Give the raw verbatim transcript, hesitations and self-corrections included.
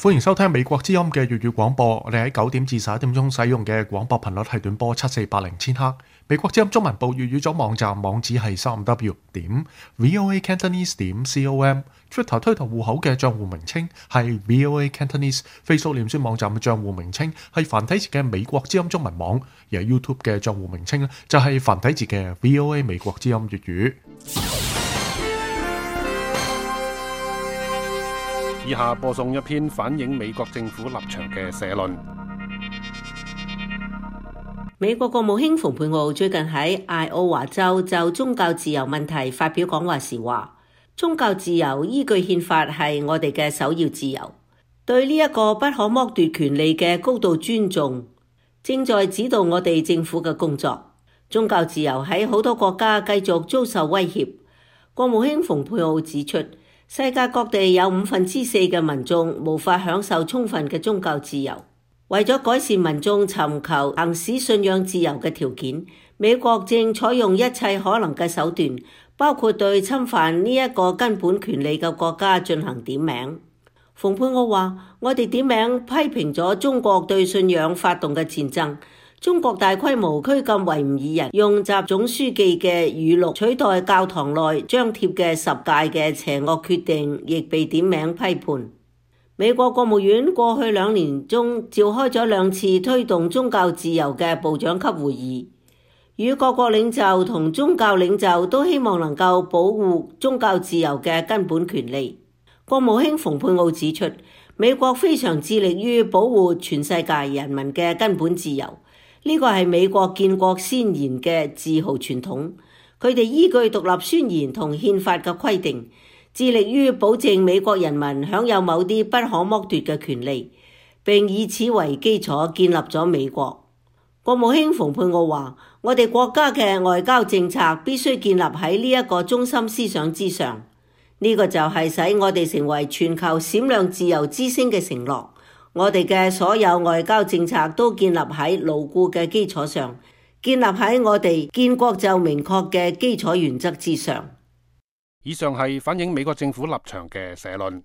歡迎收聽美國之音嘅粵語廣播。我哋喺九點至十一點鐘使用嘅廣播頻率係短波七四八零千赫。美國之音中文部粵語組網站網址係三 w 點 voa cantonese 點 com。Twitter 推特戶口嘅賬戶名稱係 voa cantonese。Facebook 臉書網站嘅賬戶名稱係繁體字嘅美國之音中文網，而 YouTube 嘅賬戶名稱咧就係繁體字嘅 voa 美國之音粵語。以下播送一篇反映美國政府立場嘅社論。美國國務卿蓬佩奧最近喺艾奧華州就宗教自由問題發表講話時話，宗教自由依據憲法係我哋嘅首要自由，對呢一個不可剝奪權利嘅高度尊重，正在指導我哋政府嘅工作。宗教自由喺好多國家繼續遭受威脅。國務卿蓬佩奧指出，世界各地有五分之四嘅民眾無法享受充分嘅宗教自由。為咗改善民眾尋求行使信仰自由嘅條件，美國正採用一切可能嘅手段，包括對侵犯呢一個根本權利嘅國家進行點名。蓬佩奧話：我哋點名批評咗中國對信仰發動嘅戰爭。中國大規模拘禁維吾爾人，用習總書記嘅語錄取代教堂內張貼嘅十誡嘅邪惡決定，亦被點名批判。美國國務院過去兩年中召開咗兩次推動宗教自由嘅部長級會議，與各國領袖同宗教領袖都希望能夠保護宗教自由嘅根本權利。國務卿蓬佩奧指出，美國非常致力於保護全世界人民嘅根本自由。呢個係美國建國先賢嘅自豪傳統，佢哋依據獨立宣言同憲法嘅規定，致力於保證美國人民享有某啲不可剝奪嘅權利，並以此為基礎建立咗美國。國務卿蓬佩奧話：我哋國家嘅外交政策必須建立喺呢一個中心思想之上，呢個就係使我哋成為全球閃亮自由之星嘅承諾。我哋嘅所有外交政策都建立喺牢固嘅基礎上，建立喺我哋建國就明確嘅基礎原則之上。以上係反映美國政府立場嘅社論。